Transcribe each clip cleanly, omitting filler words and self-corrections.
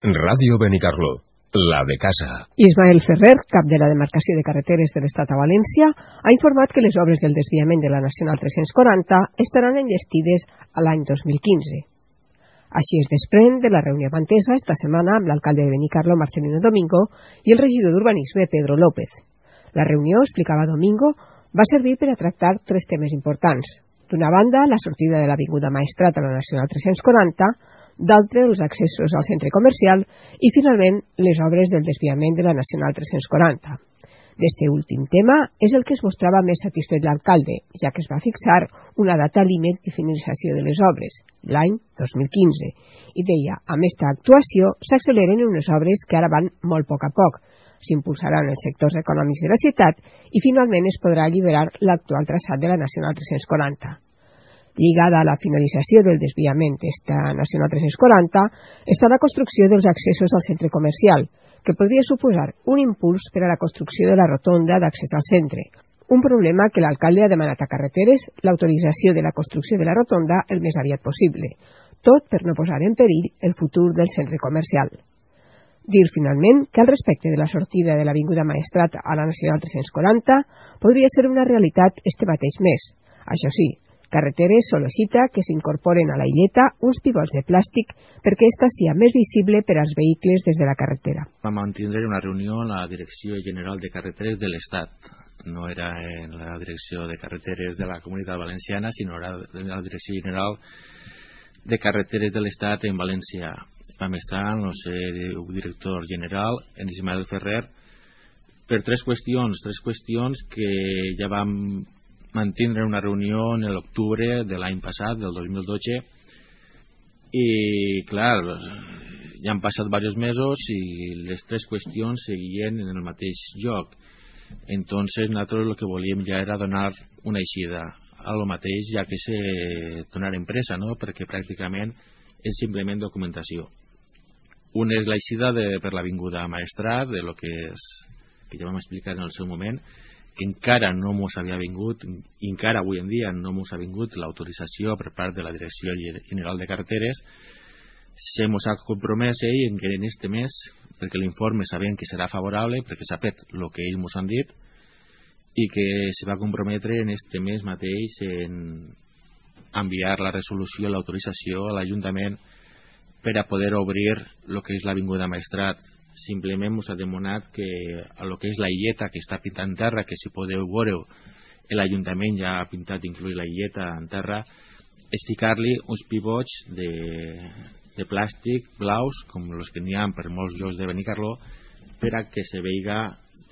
Ràdio Benicarló, la de casa. Ismael Ferrer, cap de la demarcació de carreteres de l'Estat a València, ha informat que les obres del desviament de la Nacional 340 estaran enllestides a l'any 2015. Així es desprèn de la reunió mantesa esta setmana amb l'alcalde de Benicarló, Marcelino Domingo, i el regidor d'Urbanisme, Pedro López. La reunió, explicava Domingo, va servir per a tractar tres temes importants. D'una banda, la sortida de l'Avinguda Maestrat a la Nacional 340, d'altre, els accessos al centre comercial i, finalment, les obres del desviament de la Nacional 340. D'este últim tema és el que es mostrava més satisfet l'alcalde, ja que es va fixar una data límit de finalització de les obres, l'any 2015, i deia, amb esta actuació s'acceleren unes obres que ara van molt a poc, s'impulsaran els sectors econòmics de la ciutat i finalment es podrà alliberar l'actual traçat de la Nacional 340. Lligada a la finalització del desviament d'esta Nacional 340 està la construcció dels accessos al centre comercial, que podria suposar un impuls per a la construcció de la rotonda d'accés al centre. Un problema que l'alcalde ha demanat a Carreteres l'autorització de la construcció de la rotonda el més aviat possible, tot per no posar en perill el futur del centre comercial. Dir finalment que al respecte de la sortida de l'Avinguda Maestrat a la Nacional 340 podria ser una realitat este mateix mes. Això sí, Carreteres sol·licita que s'incorporen a la illeta uns pivots de plàstic perquè ésta sia més visible per als vehicles des de la carretera. Vam mantindre una reunió en la Direcció General de Carreteres de l'Estat. No era en la Direcció de Carreteres de la Comunitat Valenciana, sinó era en la Direcció General de Carreteres de l'Estat en València. Vam estar amb el seu director general, en Ismael Ferrer, per tres qüestions que ja vam mantindre una reunió en l'octubre de l'any passat, del 2012, i clar, ja han passat diversos mesos i les tres qüestions seguien en el mateix lloc. Entonces nosaltres el que volíem ja era donar una eixida a lo mateix, ja que se donar empresa, no? Perquè pràcticament és simplement documentació. Una és l'eixida per l'Avinguda Maestrat, de lo que ja vam explicar en el seu moment, que encara no mos havia vingut, i encara avui en dia no mos ha vingut l'autorització per part de la Direcció General de Carreteres. Se mos ha compromès ell que en este mes, perquè l'informe sabem que serà favorable, perquè s'ha fet el que ells mos han dit, i que se va comprometre en este mes mateix en enviar la resolució i l'autorització a l'Ajuntament per a poder obrir el que és l'Avinguda Maestrat. Simplement ens ha demanat que a lo que és la illeta que està pintant en terra, que si podeu veure l'Ajuntament ja ha pintat inclús la illeta en terra, és ficar-li uns pivots de plàstic blaus, com els que n'hi ha per molts llocs de Benicarló, per a que se veiga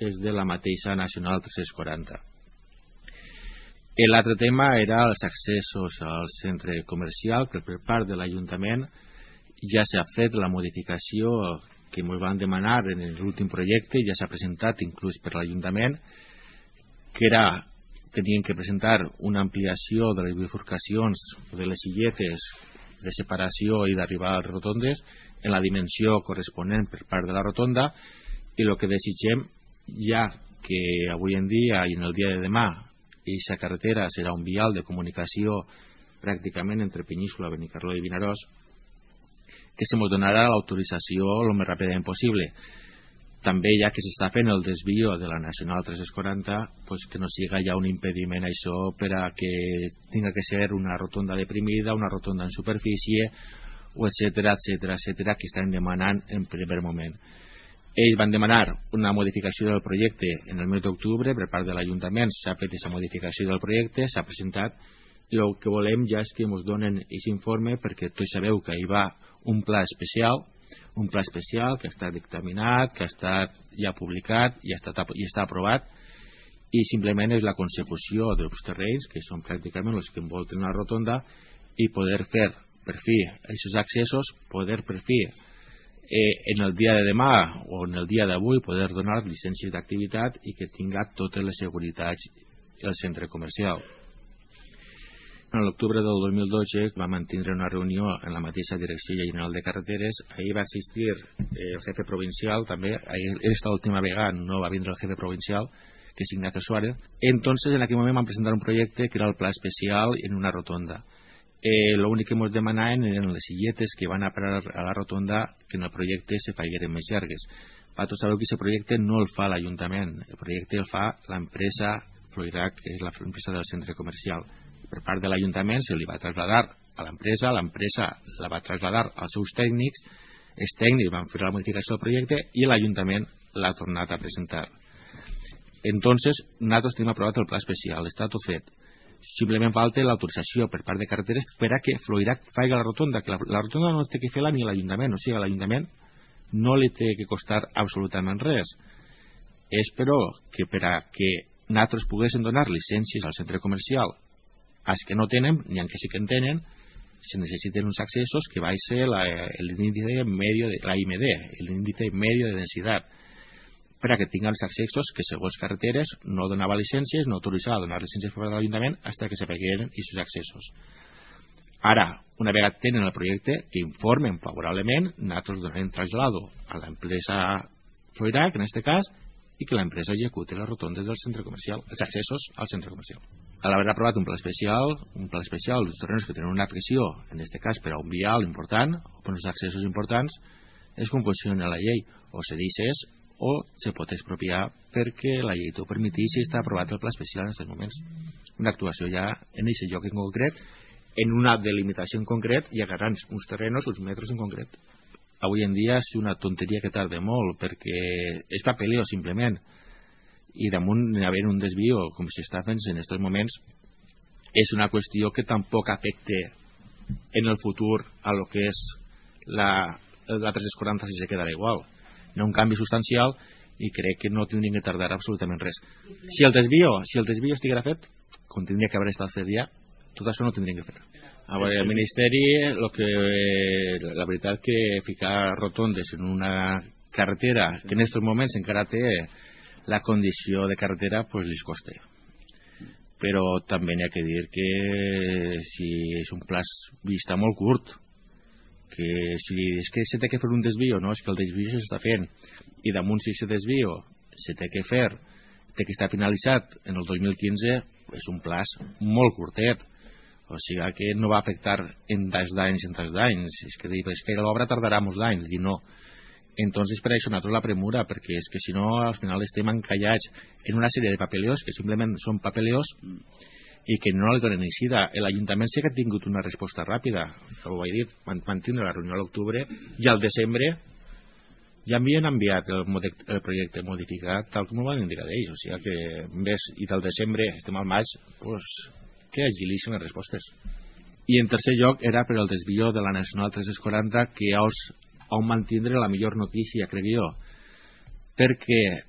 des de la mateixa Nacional 340. L'altre tema era els accessos al centre comercial, que per part de l'Ajuntament ja s'ha fet la modificació que ens van demanar en l'últim projecte, ja s'ha presentat inclús per l'Ajuntament, que era tenien que presentar una ampliació de les bifurcacions de les illetes de separació i d'arribar a les rotondes en la dimensió corresponent per part de la rotonda, i el que desitgem, ja que avui en dia i en el dia de demà aquesta carretera serà un vial de comunicació pràcticament entre Peníscola, Benicarló i Vinaròs, que se ens donarà l'autorització el més ràpidament possible. També, ja que s'està fent el desvio de la Nacional 340, pues que no siga ja un impediment això per a que tinga que ser una rotonda deprimida, una rotonda en superfície, o etcètera, que estan demanant en primer moment. Ells van demanar una modificació del projecte en el mes d'octubre per part de l'Ajuntament, s'ha fet aquesta modificació del projecte, s'ha presentat, i el que volem ja és que ens donen aquest informe, perquè tots sabeu que hi va un pla especial que ha estat dictaminat, que ha estat ja publicat i està aprovat, i simplement és la consecució dels terrenys, que són pràcticament els que envolten la rotonda, i poder fer per fi aquests accessos, poder per fi en el dia de demà o en el dia d'avui poder donar llicències d'activitat i que tinga totes les seguretats el centre comercial. En l'octubre del 2012 va mantindre una reunió en la mateixa Direcció General de Carreteres. Ahir va assistir el jefe provincial, també, esta última vegada no va vindre el jefe provincial, que és Ignacio Suárez. Entonces, en aquell moment van presentar un projecte que era el pla especial en una rotonda. l'únic que ens demanaven eren les illetes que van a parar a la rotonda que en el projecte se faigueren més llargues. Vosaltres sabeu que aquest projecte no el fa l'Ajuntament, el projecte el fa l'empresa Floirac, que és l'empresa del centre comercial. Per part de l'Ajuntament se li va traslladar a l'empresa la va traslladar als seus tècnics, els tècnics van fer la modificació del projecte i l'Ajuntament l'ha tornat a presentar. Entonces, nosaltres tenim aprovat el pla especial, està tot fet. Simplement falta l'autorització per part de carreteres per a que Floirac faci la rotonda, que la rotonda no té que fer-la ni l'Ajuntament, o sigui, a l'Ajuntament no li té que costar absolutament res. És però que per a que nosaltres poguéssim donar llicències al centre comercial als que no tenen, ni als que sí que en tenen, se necessiten uns accessos que va ser l'índice medio de l'AIMD, l'índice medio de densitat, per a que tinguin els accessos que segons carreteres no donava llicències, no autoritzava a donar llicències per part de l'Ajuntament fins que se pagueren aquests accessos. Ara, una vegada tenen el projecte, que informen favorablement, nosaltres donem traslado a l'empresa Floirac, en aquest cas, i que l'empresa executi la rotonda del centre comercial, els accessos al centre comercial. A l'haver aprovat un pla especial dels terrenys que tenen una afecció, en aquest cas per a un vial important, o per uns accessos importants, és com funciona la llei, o se deixés o se pot expropiar perquè la llei t'ho permetís si està aprovat el pla especial en aquests moments. Una actuació ja en aquest lloc en concret, en una delimitació en concret i agarrant uns terrenos, uns metres en concret. Avui en dia és una tonteria que tarda molt perquè és papeleo simplement i damunt haver un desvio com s'està fent en aquests moments és una qüestió que tampoc afecta en el futur a lo que és la 340 si se quedarà igual. No un canvi substancial i crec que no tindrien que tardar absolutament res. Si el desvio estiguera fet, com tindria que haver estat fet ja, tot això no tindrien que fer. A veure, el Ministeri, la veritat que ficar rotondes en una carretera que en aquests moments encara té la condició de carretera, pues li costa. Però també n'hi ha que dir que si és un pla vista molt curt, que si és que se té que fer un desvio, no, és que el desvio s'està fent i damunt si aquest desvio se té que fer, té que estar finalitzat en el 2015, és un plaç molt curtet, o sigui que no va afectar en tants d'anys, és que l'obra tardarà molts d'anys, i no. Entonces per això nosaltres la premura, perquè és que si no al final estem encallats en una sèrie de papeleos que simplement són papeleos i que no els donen eixida. L'Ajuntament sí que ha tingut una resposta ràpida, ho he dit, van tindre la reunió a l'octubre i al desembre ja havien enviat el projecte modificat tal com ho van indicar d'ells, o sigui que ves, i del desembre estem al maig, pues, que agilitzen les respostes. I en tercer lloc era per el desvio de la Nacional 340, que on mantindre la millor notícia, crec jo, perquè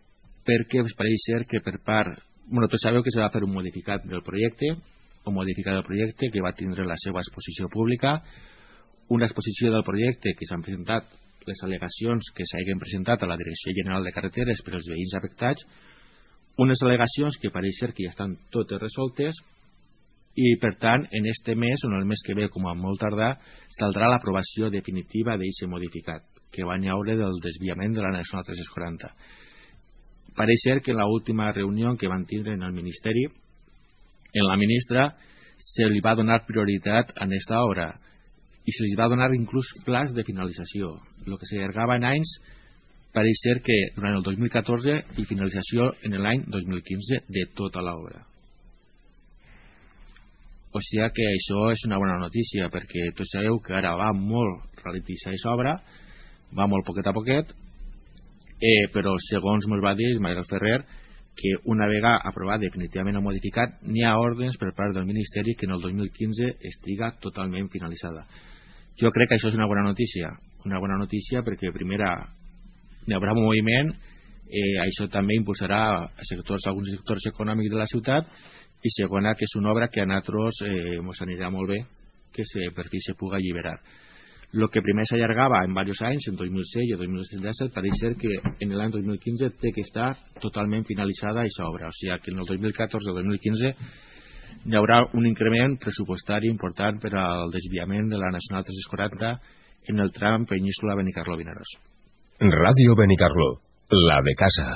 pareix ser que per part... Bueno, tots sabeu que se va fer un modificat del projecte, que va tindre la seva exposició pública, una exposició del projecte que s'han presentat les al·legacions que s'hagin presentat a la Direcció General de Carreteres per als veïns afectats, unes al·legacions que pareix ser que ja estan totes resoltes i, per tant, en este mes o en el mes que ve, com a molt tardar, saldrà l'aprovació definitiva d'aquest modificat, que va haure del desviament de la Nacional 340. Pareix ser que en l'última reunió que van tindre en el Ministeri, en la ministra se li va donar prioritat a aquesta obra i se li va donar inclús plans de finalització. El que s'allargava en anys pareix ser que durant el 2014 i finalització en l'any 2015 de tota l'obra. O sigui que això és una bona notícia, perquè tots sabeu que ara va molt ralentitzar aquesta obra, va molt poquet a poquet, però segons ens va dir Ismael Ferrer que una vegada aprovat definitivament o modificat n'hi ha ordres per part del Ministeri que en el 2015 estiga totalment finalitzada. Jo crec que això és una bona notícia perquè primera hi haurà moviment, això també impulsarà alguns sectors econòmics de la ciutat i segona que és una obra que a nosaltres ens anirà molt bé que per fi se pugui alliberar. El que primer s'allargava en diversos anys, en 2006 i 2017, pareix ser que en l'any 2015 té que estar totalment finalitzada aquesta obra. O sigui que en el 2014 o 2015 hi haurà un increment pressupostari important per al desviament de la Nacional 340 en el tram Península Benicarló-Vinaròs. Ràdio Benicarló, la de casa.